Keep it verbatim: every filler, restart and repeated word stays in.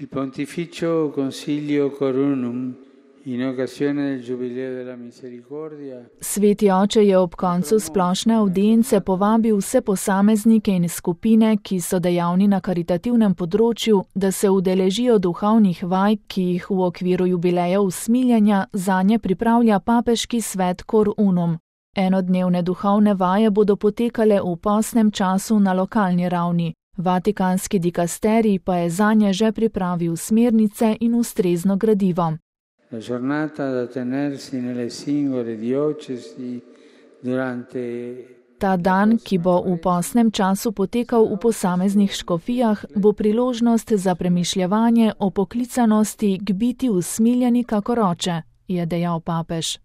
Il Pontificio Concilio Corunum in occasione del Giubileo della Misericordia. Sveti oče je ob koncu splošne avdience povabil vse posameznike in skupine, ki so dejavni na karitativnem področju, da se udeležijo duhovnih vaj, ki jih v okviru jubileja usmiljenja zanje pripravlja papeški svet Cor Unum. Enodnevne duhovne vaje bodo potekale v postnem času na lokalni ravni. Vatikanski dikasterij pa je zanje že pripravil smernice in ustrezno gradivo. La giornata da tenersi nelle singole diocesi durante. Ta dan, ki bo v postnem času potekal v posameznih škofijah, bo priložnost za premišljevanje o poklicanosti k biti usmiljeni kakor oče, je dejal papež.